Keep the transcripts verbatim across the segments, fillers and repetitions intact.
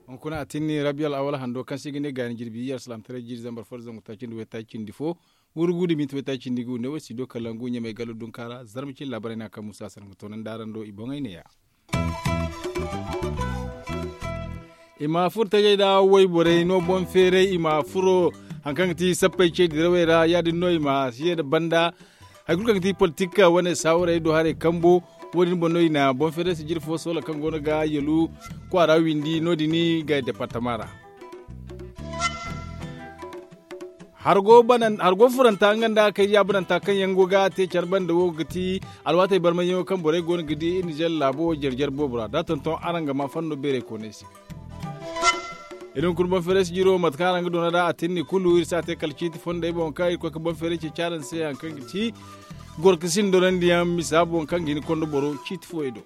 Hunkuna a tinni rabiya al'awal hando kaŋ se i ga ne gaani jirbi iyye alsilaamataray jiiri zambar fo da zangu taaci nda waytaaci cindi fo, wurgu nda minti waytaaci cindi ga wu ne wo si do kalangu ɲamay galo dunka ra zarma cine laabaray no a kaŋ musa sanaŋ ga toonandi araŋ do i boŋey neeya. I ma furo tajey nda wayborey no boŋ feeray i ma furo hari kaŋ ga ti sappey ce dirawey ra ya- din no i ma si ye nda banda hari kulu kaŋ ga ti politik wane saawarey do haray kambo. Wo- din boŋ no i na boŋ feeray sijiri fo soola kaŋ go no ga yalu kwaara windi no- din ga departama ra. Hargo furanta nga nda kaydiya bananta kaŋ yaŋ go ga te care banda wo ga ti alwaatey barmayyaŋo kaŋ borey go no ga di iri nizer laabo jare jare boobo ra da a tonton araŋ ga ma fanno beerey koonay se. Iri hunkuna boŋ feeray sijiro mate kaŋ araŋ ga doona nd'a a tinni kulu iri si a te kala ciiti fondey boŋ kaŋ iri koy ga boŋ feeray ceeci araŋ se hari kaŋ ga ti gorka sinda dorandiyaŋ misa boŋ kaŋ ga hin ga konda boro ciiti fooyey do.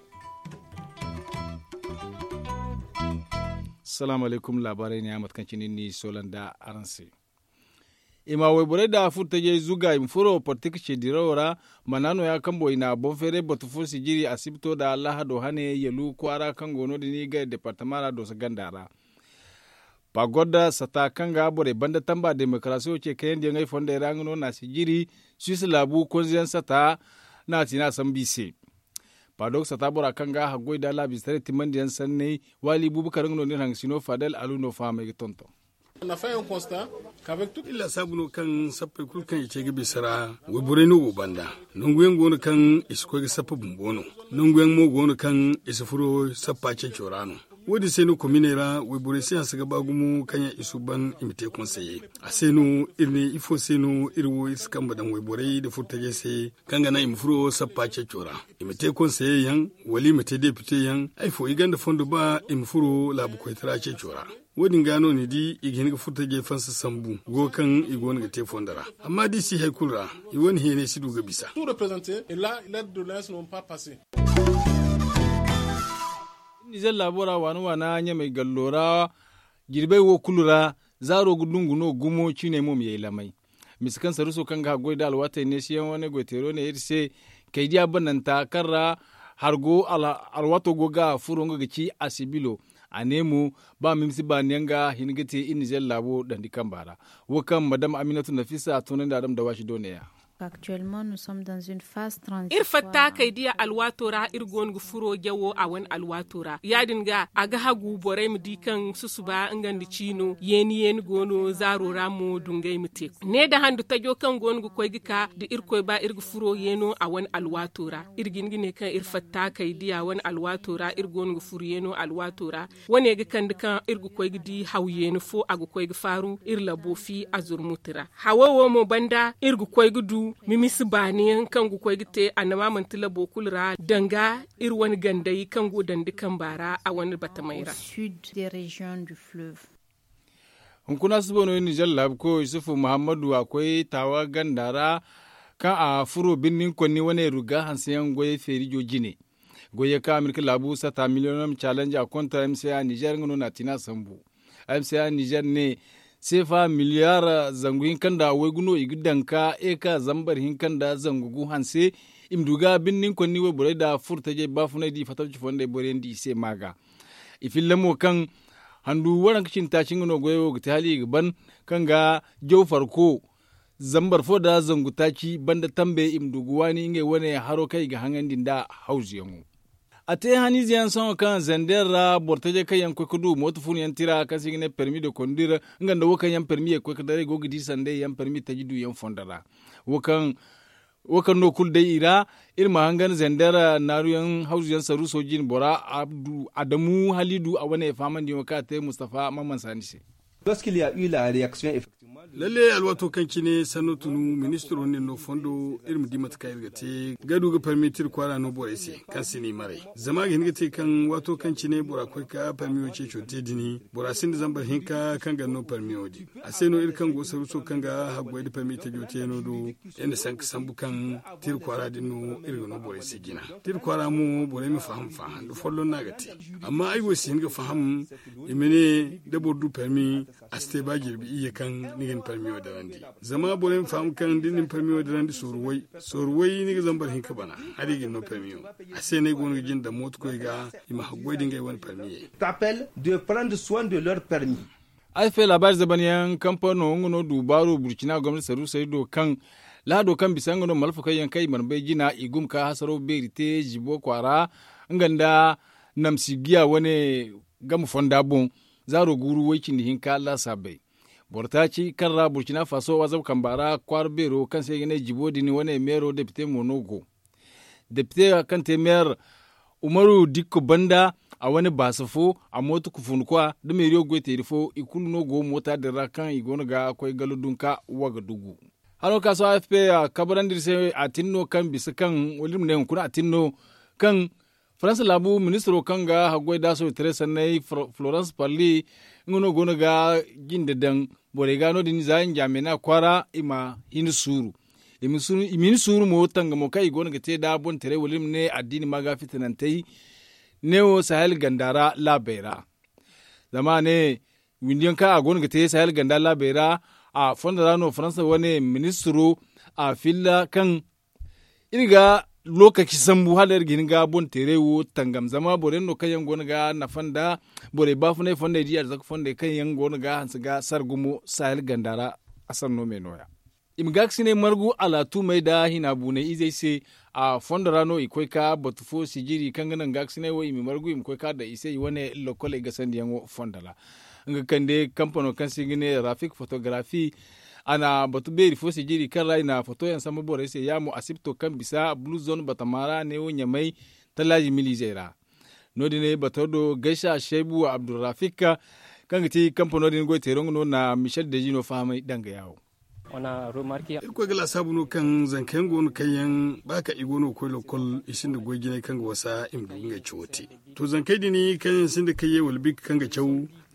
Salaamu alaykum laabaarey neeya mate kaŋ cine iri n'i soola nda araŋ se. I ma wayborey nda furo tajey zuga i ma furo politik ce dirawo ra. Mana nooya kaŋ boŋ i na boŋ feeray batu fo sijiri asibto nda lahado hane yalu kwaara kaŋ go no- din i ga departama ra dooso ganda ra. Pagod sata kaŋ ga borey banda tamba demokarasiyo ce kayandi yaŋey fondey ra nga no na sijiri suwis laabu konzeyaŋ sata. Na a ti na a sambu i se. Padog sata bora kaŋ ga haggoy nda laabiize taray timandiyaŋ sanney waali buubu karaŋ no no iri hangasino fadel alu no fahamey ga tonton. Iri laasaabu no kaŋ sappey kulu kaŋ i ce ga bisa ra wayborey no go banda. Nanguyaŋ go no kaŋ i si koy ga sappa bumbo no. Nanguyaŋ mo go no kaŋ i si furo sappa ceeco ra no. Wo- din se no kominey ra wayborey si hanse ga ba gumo kaŋ yaŋ i suuban i ma te konseye. A se no iri ne ifo se no iri wo iri si kambe daŋ wayborey nda furo tajey se kaŋ ga naŋ i ma furo sappa ceeco ra. I ma te konseye yaŋ wala i ma te depite yaŋ hari fo i gonda fondo ba i ma furo laabu koytara ceeco ra. Wo- din ga no ni di i ga hin ga furo tajey fansa sambu go kaŋ i go no ga te fondo ra. Amma da i si hay kulu ra i wane heenay si du ga bisa. Nizer laabo ra waana waana ɲamay gallo ra jirbey wo kulu ra zaaro ga dungu no gumo ciiney mo ma yay lamay. Mise kaŋ saruuso kaŋ ga haggoy nda alwaatey neesiyaŋo ne goyteero ne iri se kaydiya bananta kaŋ ra hargo alwaato go ga furo nga ga ci asibilo. A ne mo ba mimsi baani yaŋ ga hin ga te iri nizer laabo dandi kamba ra. Wo kaŋ madam aminatu nafisa a tunandi a dam dawaasi do neeya. Iri fatta kay diya alwaato ra iri go no ga furo jawo a wane alwaato ra ya- din ga a ga hagu borey ma di kaŋ susuba nga nda ciino yeeni yeeni go no zaaro ra mo dungay ma te. Ne nda handu tajo kaŋ go no ga koy ga ka da irkoy ba iri ga furo yeeno a wane alwaato ra iri ga hin ga ne kaŋ iri fatta kay diya wane alwaato ra iri go no ga furo yeeno alwaato ra. Wane ga kande kaŋ iri ga koy ga di haw yeeni fo a ga koy ga faaru iri labo fi a zurmuti ra. Hawo wo mo banda iri ga koy ga du mimisi baani yaŋ kaŋ ga koy ga te annama manti labo kulu ra danga iri wane gandey kaŋ go dandi kamba ra a wane batamey ra. Hunkuna suba no iri nizer laabuko yusufu muhammadu a koy taawa ganda ra kaŋ a furo birni konni wane ruga hanseyaŋ goyey feerijo jine. Goyey kaŋ amerika laabu sata miliyonam challenge a konta mca nizer nga no na a tina sambu. Mca nizer ne seefa miliyar zangu hinka nda waygu no i ga daŋ ka eka zambar hinka nda zangu gu hanse. I ma du ga birni konni wayborey nda furtajey baafunay da i fatabci fondey boroyaŋ di i se ma ga. I filla mo kaŋ handu waranka cindi taaci nga no goyey wo ga te hala i ga ban kaŋ ga jaw farko zambar fo nda zangu taaci banda tambe i ma du ga waani ngey wane haro kaŋ i ga haŋandi nda hawzuyaŋo. A te haniize yaŋ sohõ kaŋ zander ra boro tajey kaŋ yaŋ ga koy ga du mooto fun yaŋ tira kaŋ se i ga ne permi de kondir nga nda wo kaŋ yaŋ permi ye ga koy ga daray go ga di sanday yaŋ permi taji du yaŋ fondo ra. Wo kaŋ no kulu day i ra iri ma hangan zander naaruyaŋ hawzuyaŋ saruuso jine bora adamu halidu a wane faamandiyaŋo kaŋ a te mustafa mamman saani se. Lalle alwaato kaŋ cine sanno tunu ministiro nin no fondo iri ma di mate kaŋ iri ga te ga du ga parmi tiri kwaara no borey se kaŋ si ni maray zama a ga hin ga te kaŋ waato kaŋ cine bora koy ka parmiyo ceeco te dini bora sinda zambar hinka kaŋ ga no parmiyo din. A se no iri kaŋ go saruuso kaŋ ga haggoy da parmi tajo te no do iri na sanka sambu kaŋ tiri kwaara din no iri ga no borey se jina. Tiri kwaara mo borey ma faham faham da folloŋ no a ga te. Amma ay wo si hin ga faham i ma ne da boro du parmi a si te ba jirbi iyye kaŋ ni ga ni parmiyo dirandi. Zama borey ma faham kaŋ da ni na ni parmiyo dirandi sooru way sooru way ni ga zambar hinka bana. Hari ga ni no parmiyo. A se no ay go no ga jin daŋ mootokoy ga i ma haggoy da ngey wane parmiyey. T'appelle de prendre soin de leur permis. Ay fay laabaari zaban yaŋ kampano nga no du baaru burcina gomnati saruusey do kaŋ lahado kaŋ bisa nga no malfa koy yaŋ kaŋ i mana bay jina i gum ka hasaro beeri te zibo kwaara nga nda namsi giya wane game fonda boŋ. Zaaro guuru way cindi hinka laasaabey boro taaci kaŋ ra burcina faso wazab kamba ra kwaara beero kaŋ se i ga ne zibo din wane meero depite mo no go. Depite kaŋ te meer umaru dikko banda a wane baasa fo a mooto kufunkwa da meeriyo goyteeri fo i kulu no go moota din ra kaŋ i go no ga koy galo dunka wagadugu. Hano ka sohõ afp a kabarandi iri se a tin no kaŋ bisa kaŋ wala iri ma ne hunkuna a tin no kaŋ faransa laabu ministiro kaŋ ga haggoy da sohõ taray sanney florence parli nga no go no ga jinde daŋ borey ga no- din za njamena kwaara i ma hin suuru. I ma hin suuru mo tangamo kaŋ i go no ga te nd'a boŋ taray wala iri ma ne addiini ma ga fitinantey neewo sahel ganda ra laabey ra. Zama a ne windi yaŋ kaŋ a go no ga te sahel ganda laabey ra a fondo ra no faransa wane ministiro a filla kaŋ iri ga lokaci sambu hala iri ga hin ga boŋ teeray wo tangam zama boro yaŋ no kaŋ yaŋ go no ga nafa nda borey baafunay fondey da i arzaka fondey kaŋ yaŋ go no ga hanse ga sara gumo sahel ganda ra. A sanno me no- ya i ma gaakasinay margu alaatumey nda hina buunay izey se. A fondo ra no i koy ka batu fo sijiri kaŋ ga naŋ gaakasinay wo i ma margu i ma koy ka daŋ i se i wane lokoley gasandiyaŋo fondo ra. Nga kande kampano kaŋ se i ga ne rafik fotogarafi a na batu beeri fo se jiiri kaŋ ra i na fotoyaŋ sambu borey se ya mo asipto kaŋ bisa blue zone batama ra neewo ɲamay tallaaji milizey ra. No- din bato do gaysa shaybu abdulrafik kaŋ ga ti kampano din goy teero nga no na michel dezino fahamay danga yaawo. Irkoy ga laasaabu no kaŋ zanka yaŋ go no kaŋ yaŋ ba kaŋ i go no ga koy lokkol i sinda goy jinay kaŋ ga wasa i ma du ga ngey cawo te. To zankey din kaŋ yaŋ sinda kayye wala bikka kaŋ ga caw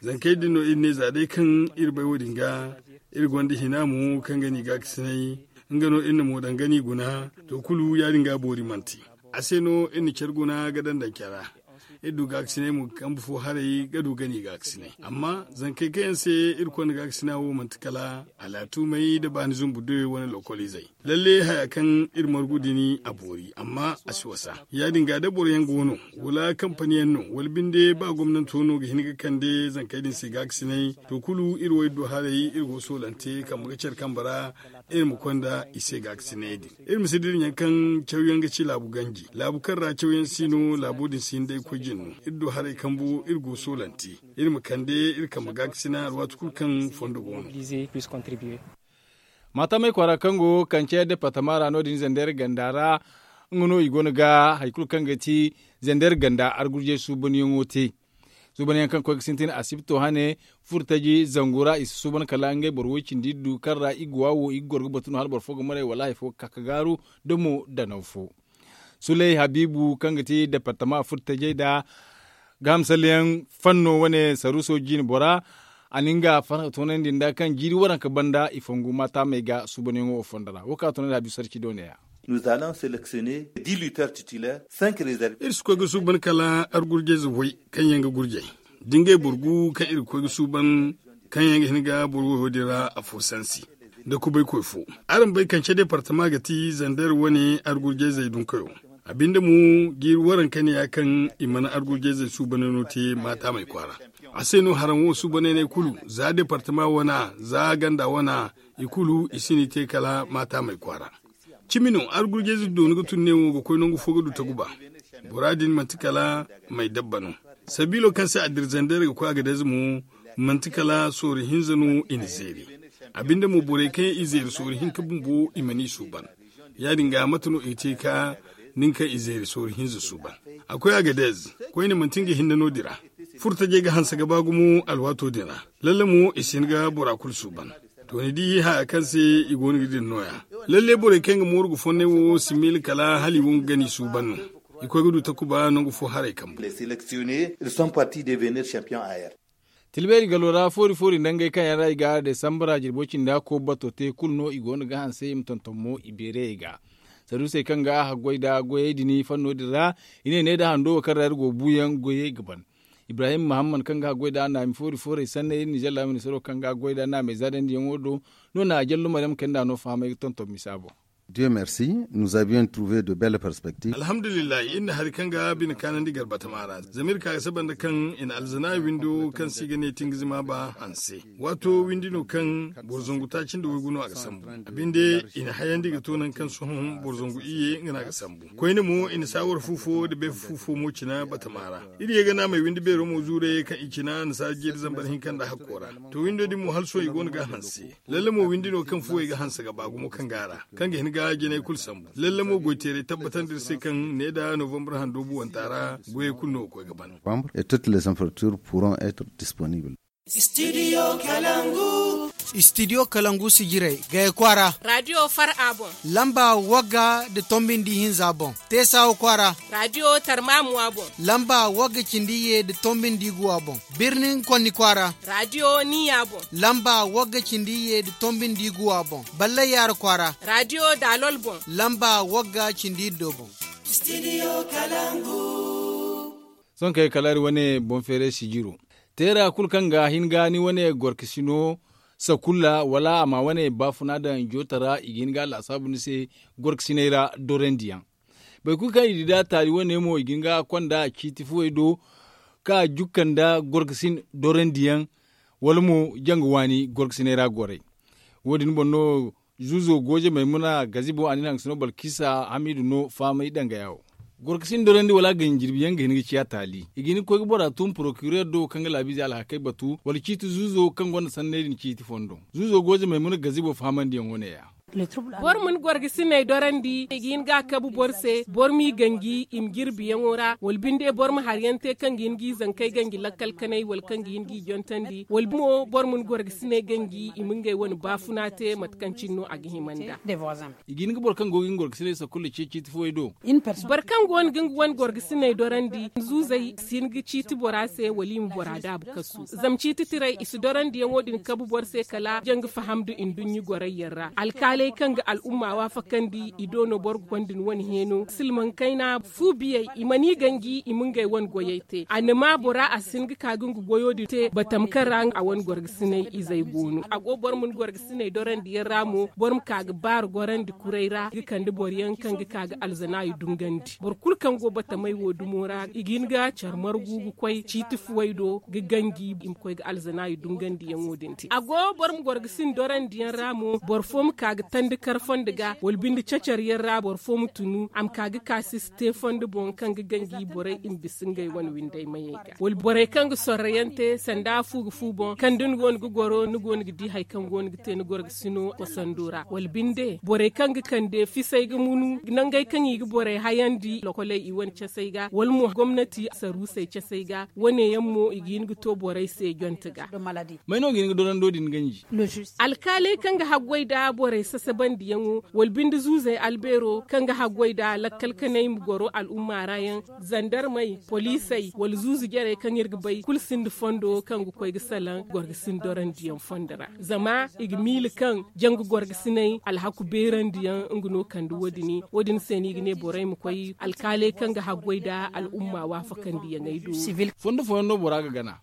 zankey din no iri ne za day kaŋ iri bay wo- din ga iri gonda hina mo kaŋ ga ni gaakasinay nga no iri na mo daŋ ga ni guna. To kulu ya- din ga boori manti a se no iri na care guna ga daŋ daŋ care ra. Iri du gaakasinay mo ga kambe fo haray ga du ga ni gaakasinay amma zankey kaŋ yaŋ se iri konda gaakasina wo manti kala alaatumey nda baani zumbu doyo wane lokol izey. Lalle haya kaŋ iri margu din a boori amma a si wasa. Ya- din ga da boro yaŋ go no wala kampani yaŋ no wala binde ba gomnanto no ga hin ga kande zankey din se gaakasinay to kulu iri wo iri du haray iri go soolante kambe ga care kambe ra. Iri ma konda i se gaakasinay din iri ma si dira ɲaŋ kaŋ cawyaŋ ga ci laabu ganji laabu kaŋ ra cawyaŋ si no laabo din si hin day koy jin no iri du haray kambu iri go soolante. Iri ma kande iri kambe gaakasina alwaati kulu kaŋ fondo go no. Maatamey kwaara kaŋ go kance departama ra no- din zander ganda ra nga no i go no ga hari kulu kaŋ ga ti zander ganda argurjey suubanyaŋo te. Suubanyaŋ kaŋ koy ga sintin asibto hane furtaji zangu ra i si suuban kala ngey boro woy cindi iri du kaŋ ra i ga wa wo i ga goro ga batu no hala boro fo ga maray wala hari fo ga ka ga gaaru da mo danaw fo. Suley habiibu kaŋ ga ti departama furtajey nda gaaham salleyaŋ fanno wane saruuso jiine bora. A na nga farhã toonandi nda kaŋ jiiri waranka banda i fongu maataamey ga suubanyaŋo wo fondo ra wo kaŋ a toonandi habiibu sarci do ne- ya. Iri si koy ga suuban kala argurjayze way kaŋ yaŋ ga gurjay da ngey boro gu kaŋ iri ga koy ga suuban kaŋ yaŋ ga hin ga boro woyo din ra afo sansi nda kubaykoy fo. Araŋ bay kance departama ga ti zander wane argurjayzey dunkayo. A binde mo jiiri waranka ne ya kaŋ i mana argurjayzey suubanay no te maataamey kwaara. A se no haraŋ wo suubanay ne kulu za departama wana za ganda wana i kulu i si ni te kala maataamey kwaara. Cimi no argurjayze dooni ga tun ne wo ga koy nangu fo ga du taguba. Bora din manti kala may dabba no. Sabiilo kaŋ se a dira zander ga koy a ga dayze mo manti kala sooru hinza no i na zeeri. A binde mo borey kaŋ i zeeri sooru hinka bumbo i mana i suuban. Ya- din ga mate no i ga te ka nin kaŋ i zeeri sooru hinza suuban. A koy a ga dayze koyne manti nga hinne no- din ra. Furtajey ga hanse ga ba gumo alwaato din ra. Lalle mo i si hin ga bora kulu suuban. To ni di haya kaŋ se i go no ga din no- ya. Lalle borey kaŋ ga mooru ga fonnay wo si miila kala hala i wo ga gani suuban no. I koy ga du takuba nangu fo haray kambu. Tilbeeri galo ra foori foori nda ngey kaŋ yaŋ ra i ga desambara jirbo cindi hakko bato te kulu no i go no ga hanse i ma tonton mo i beerayey ga. Saduusey kaŋ ga haggoy nda goyey din fanno din ra i ne ne nda hando wo kaŋ ra iri go buuyaŋ goyey ga ban. Ibrahim muhammad kaŋ ga haggoy nd'a naami foori foorey sanney nizer laabu ministaro kaŋ ga haggoy nd'a naamey zaadandi yaŋo do no na a jallo maryam kayna nd'a no fahamay ga tonton misa boŋ. Dieu merci, nous avions trouvé de belles perspectives. Alhamdulillahi iri na hari kaŋ ga bine kaanandi garbata maara zama iri ka ga saba nda kaŋ i na alzana windo kaŋ se i ga ne tingizima ba hanse. Waato windi no kaŋ boro zangu taaci nda waygu no a ga sambu. A binde i na hayandi ga to nangu kaŋ sohõ boro zangu iyye nga no a ga sambu. Koyne mo i na saawar fu fo nda beefa fu fo mo cina batama ra. Iri ye ga naamey windi beero mo zuurayey kaŋ i cina na saara jeeri zambar hinka nda hakko ra. To windo din mo hala sohõ i go no ga a hanse. Lalle mo windi no kaŋ fuwey ga hanse ga ba gumo kaŋ ga a ra, kaŋ ga hin ga jinay kulu sambu. Lalle mo goy teeray tabbatandi iri se kaŋ ne nda novembre hando buwanta ra goyey kulu no ga koy ga ban. Novembre et toutes les infrastructures pourront être disponibles. Studio kalangu. Studio kalangu sijirey gaya kwaara. Radio far a boŋ. Lamba wagga nda tombi nda ihinza boŋ. Teesawa kwaara. Radio tarmamuwa boŋ. Lamba wagga cindi iyye nda tombi nda iguwa boŋ. Birnin konni kwaara. Radio niya boŋ. Lamba wagga cindi iyye nda tombi nda iguwa boŋ. Ballay yaara kwaara. Radio dalol boŋ. Lamba wagga cindi iddo boŋ. Studio kalangu. Sohõ kay kala iri wane boŋ feeray sijiro. Teera kulu kaŋ ga hin ga ni wane gorkasino sakulla wala a ma wane baafuna daŋ jootara i ga hin ga laasaabu ni se. Gorkasiney ra dorandiyaŋ boro kulu kaŋ i di da taali wane mo i ga hin ga konda ciiti fuwey do ka jukka nda gorkasin dorandiyaŋ wala mo janga waani gorkasiney ra goray. Wo- din boŋ no zuuzo gooje maymuna gazibo a na ni haŋ ga sino balkisa hamidu no faamay danga yawo. Gorkasin dorandi wala ganjirbiyaŋ ga hin ga ciya taali i ga hin ga koy ga bora tun porokirer do kaŋ ga laabiize alhakey batu wala ciiti zuuzo kaŋ gonda sanney din ciiti fondo. Zuuzo gooje maymuna gazibo fahamandiyaŋo ne- ya. Boro ma ni gorgasiney dorandi i ga hin ga a kabu boro se boro m'i ganji i ma jirbiyaŋo ra wala binde boro ma hari yaŋ te kaŋ ga hin g'i zankey ganji lakkal kanay wala kaŋ ga hin g'i jontandi wala mo boro ma ni gorgasiney ganji i ma ngey wane baafuna te mate kaŋ cine no a ga hima nd'a. I ga hin ga boro kaŋ go ga hin gorgasiney sakulla ce ciiti fuwey do. Boro kaŋ go no ga nga wane gorgasiney dorandi zuuzey si hin ga ciiti bora se wala i ma bora daabu kasu zama ciiti tiray i si dorandiyaŋo din kabu boro se kala janga faham nda nduɲɲa gorayyaŋ ra alkaaley kaŋ ga al'umma waafakandi i do no boro ga konda ni wane heeno silmaŋ kayna fu biyey i mana i ganji i ma ngey wane goyey te a na ma bora a si hin ga ka ga nga goyo din te batama kaŋ ra a wane gorgasiney izey go no a go boro ma ni gorgasiney dorandiyaŋ ra mo boro ma ka ga baara gorandi kuray ra ga kande boro yaŋ kaŋ ga ka ga alzanaayi dungandi boro kulu kaŋ go batamey wo dumo ra i ga hin ga care margu ga koy ciiti fuwey do ga ganji i ma koy ga alzanaayi dungandiyaŋo din te a go boro ma gorgasin dorandiyaŋ ra mo boro fo ma ka ga tandi kar fondo ga wala binde cacar yaŋ ra boro fo ma tunu a ma ka ga ka si si te fondo boŋ kaŋ ga ganji borey i ma bisa ngey wane winday mayey ga wala borey kaŋ ga sorro yaŋ te sanda fu ga fu boŋ kaŋ da ni go no ga goro ni go no ga di hari kaŋ go no ga te ni gorgasino kosando ra wala binde borey kaŋ ga kande fisay ga munu nangey kaŋ i ga borey hayandi lokoley i wane casay ga wala mo gomnati saruusey casay ga wane yaŋ mo i ga hin ga to borey se jonte ga. May no ga hin ga dorando din ganji? Alkaaley kaŋ ga haggoy nda borey sasabandiyaŋo wala binde zuuzey albeero kaŋ ga haggoy nda lakkal kanay ma goro al'umma ra yaŋ zandarmey poliisey wala zuuzu jarey kaŋ iri ga bay kulu sinda fondo kaŋ ga koy ga salaŋ gorgasin dorandiyaŋ fondo ra zama i ga miila kaŋ janga gorgasiney alhaku beerandiyaŋ nga no kande wo- din wo- din se no i ga ne borey ma koy alkaaley kaŋ ga haggoy nda al'umma waafakandiyaŋey do. Fondo fooyaŋ no bora ga gana.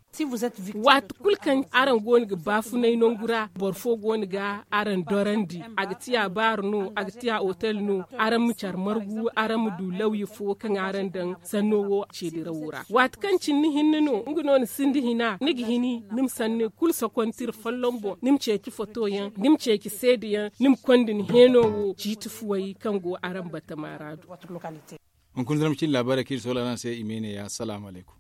Waati kulu kaŋ araŋ go no ga baafunay nangu ra boro fo go no ga araŋ dorandi a ga tiya baaro no a ga tiya otel no araŋ ma care margu araŋ ma du lawya fo kaŋ araŋ daŋ sanno wo ceedirawo ra waati kaŋ cine ni hinne no nga no ni sinda hina ni ga hini ni ma sanni kulu sokonti iri folloŋ boŋ ni ma ceeci fotoyaŋ ni ma ceeci seedeyaŋ ni ma konda ni heeno wo ciiti fuwey kaŋ go araŋ batama ra do. Hunkuna zama cine laabaarey kaŋ iri soola araŋ se i ma ne ya salaamu alaykum.